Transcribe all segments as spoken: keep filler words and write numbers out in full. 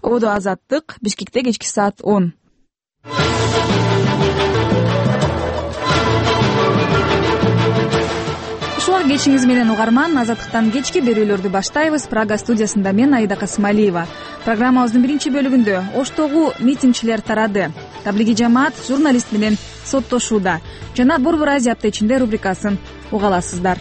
Ободо Азаттык, Бишкекте кечки саат он. Ушуга кечиңиз менен угарман, Азаттыктан кечки берүүлөрдү баштайбыз. Прага студиясында мен Аида Касымалиева. Программабыздын биринчи бөлүгүндө Оштогу митингчилер тарады. Таблиги жамаат журналист менен соттошууда. Жана Борбор Азия апта ичинде рубрикасын уга аласыздар.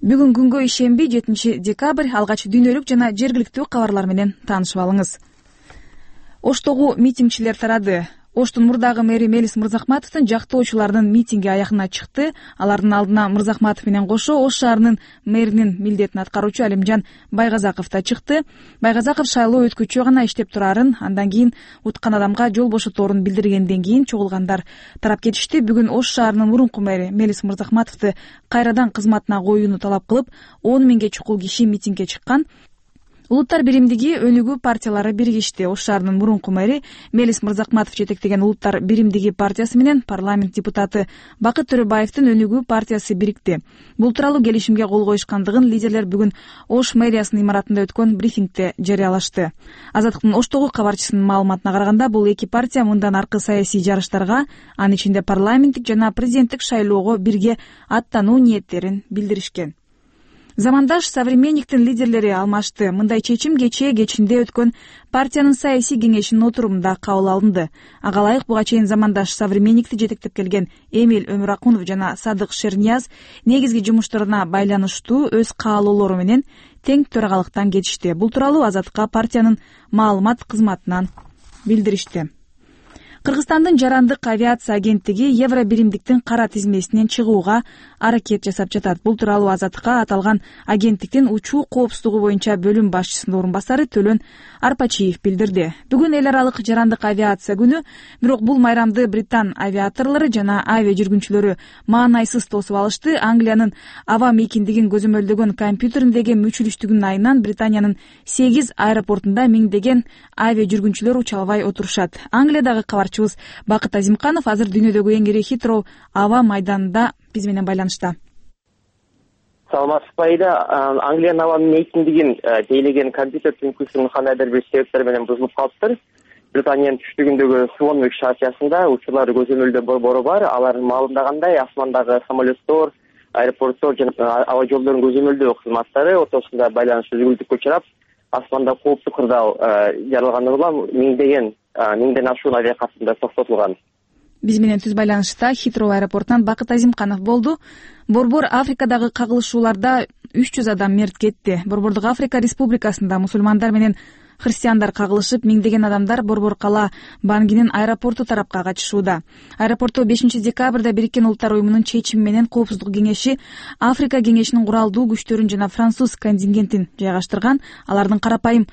Бүгүн күнгө ишемби, жетинчи декабрь. Алгач дүйнөлүк жана жергиликтүү кабарлар менен таанышып алыңыз. Оштогу митингчилер тарады. Оштун мурдагы мэри Мелис Мырзахматовдун жактоочуларынын митинги аягына чыкты. Алардын алдына Мырзахматов менен кошо Ош шаарынын мэринин милдетин аткаруучу Алимжан Байгазаков да чыкты. Байгазаков шайлоо өткүчү гана иштеп турарын, андан кийин уткан адамга жол бошоторун билдиргенден кийин чогулгандар тарап кетишти. Бүгүн Ош шаарынын мурунку мэри Мелис Мырзахматовду кайрадан кызматына коюуну талап кылып, он миңге чукул киши митингге чыккан. Улуттар биримдиги өнүгүү партиялары биригишти. Ош шаарынын мурунку мэри Мелис Мырзахматов жетектеген Улуттар биримдиги партиясы менен парламент депутаты Бакыт Төрөбаевдин өнүгүү партиясы бирикти. Бул тууралуу келишимге кол коюшкандыгын лидерлер бүгүн Ош мэриясынын имаратында өткөн брифингде жарыялашты. Азаттыктын Оштогу кабарчысынын маалыматына караганда, бул эки партия мындан аркы саясий жарыштарга, анын ичинде парламенттик жана президенттик шайлоого бирге аттануу ниеттерин билдиришкен. Замандаш современниктин лидерлери алмашты. Мындай чечим кечээ кечинде өткөн партиянын саясий кеңешинин отурумунда кабыл алынды. Ага ылайык буга чейин замандаш современникти жетектеп келген Эмиль Өмүракунов жана Садык Шернияз негизги жумуштарына байланыштуу өз каалоолору менен тең төрагалыктан кетишти. Бул тууралуу Азаттыкка партиянын маалымат кызматынан билдиришти. Кыргызстандын жарандык авиация агенттиги евро биримдиктин кара тизмесинен чыгууга аракет жасап жатат. Бул тууралуу Азаттыкка аталган агенттиктин учуу коопсуздугу боюнча бөлүм башчысынын орун басары Төлөн Арпачиев билдирди. Бүгүн эл аралык жарандык авиация күнү, бирок бул майрамды британ авиаторлору жана авиа жүргүнчүлөрү маанайсыз тосуп алышты. Англиянын аба мейкиндигин көзөмөлдөгөн компьютериндеги мүчүлүштүгүнүн айынан Британиянын сегиз аэропортунда миңдеген авиа жүргүнчүлөр уча албай отурушат. Англиядагы кабарчы Бакыт Азимканов азыр дүйнөдөгү эң ири Хитроу аба майданында биз менен байланышта. Саламатсызбы Аида. Англиянын аба мейкиндигин тейлеген компьютер түнкүсүнүн кандайдыр бир себептер менен бузулуп калыптыр. Британиянын түштүгүндөгү Суонвик шаартында учурлар көзөмөлдөө борбору бар. Алардын маалымдагандай, асмандагы самолеттор, аэропорттор жана аба жолдорунун көзөмөлдөө кызматтары ортосунда байланыш үзүлдүккө учурап, асманда кооптуу кырдаал жаралганы улам миңдеген миңден ашуун авиакатында токтотулган. Биз менен түз байланышта Хитроу аэропортунан Бакыт Азимканов болду. Борбор Африкадагы кагылышууларда үч жүз адам мерт кетти. Борбордук Африка Республикасында мусулмандар менен христиандар кагылышып, миңдеген адамдар Борбор кала Бангинин аэропорту тарапка качышууда. Аэропортто бешинчи декабрда Бириккен Улуттар уюмунун чечими менен Коопсуздук кеңеши Африка кеңешинин куралдуу күчтөрүн жана француз контингентин жайгаштырган. Алардын карапайым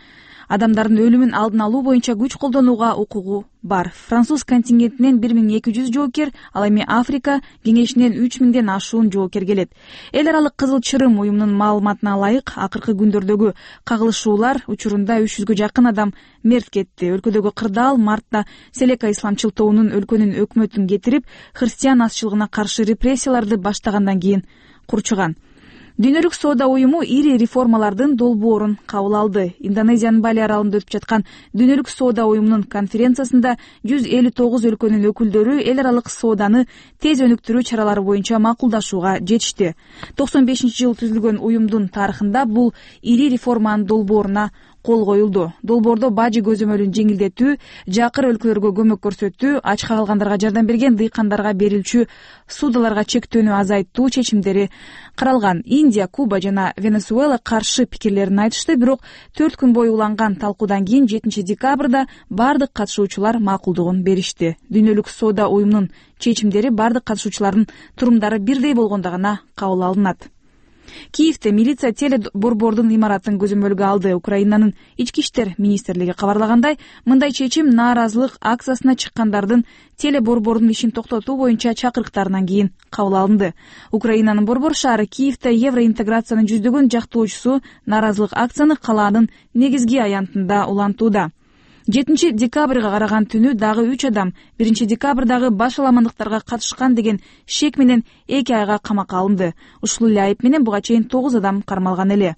адамдардын өлүмүн алдын алуу боюнча күч колдонууга укугу бар. Француз контингентинен бир миң эки жүз жоокер, ал эми Африка кеңешинен үч миңден ашуун жоокер келет. Эл аралык Кызыл Чырым уюмунун маалыматына ылайык, акыркы күндөрдөгү кагылышуулар учурунда үч жүзгө жакын адам мерт кетти. Өлкөдөгү кырдаал мартта Селека исламчыл тобунун өлкөнүн өкмөтүн кетирип, христиан азчылыгына каршы репрессияларды баштагандан кийин курчуган. Дүйнөлүк соода уюму ири реформалардын долбоорун кабыл алды. Индонезиянын Бали аралында өтүп жаткан Дүйнөлүк соода уюмунун конференциясында жүз элүү тогуз өлкөнүн өкүлдөрү эл аралык сооданы тез өнүктүрүү чаралары боюнча макулдашууга жетишти. токсон бешинчи жылы түзүлгөн уюмдун тарыхында бул ири реформанын долбооруна кол коюлду. Долбоордо бажы көзөмөлүн жеңилдетүү, жакыр өлкөлөргө көмөк көрсөтүү, ачка калгандарга жардам берген дыйкандарга берилчү ссудаларга чектөөнү азайттуу чечимдери каралган. Индия, Куба жана Венесуэла каршы пикирлерин айтышты, бирок төрт күн бою уланган талкуудан кийин жетинчи декабрда бардык катышуучулар макулдугун беришти. Дүйнөлүк соода уюмунун чечимдери бардык катышуучулардын турумдары бирдей болгондо гана кабыл алынат. Киевде милиция телеборбордун имаратын көзөмөлгө алды. Украинанын ички иштер министрлиги кабарлагандай, мындай чечим нааразылык акциясына чыккандардын телеборбордун ишин токтотуу боюнча чакырыктарынан кийин кабыл алынды. Украинанын борбор шаары Киевде евроинтеграциянын жүздөгөн жактоочусу нааразылык акцияны калаанын негизги аянтында улантууда. жетинчи декабрга караган түнү дагы үч адам биринчи декабрдагы баш аламандыктарга катышкан деген шек менен эки айга камакка алынды. Ушул эле айып менен буга чейин тогуз адам кармалган эле.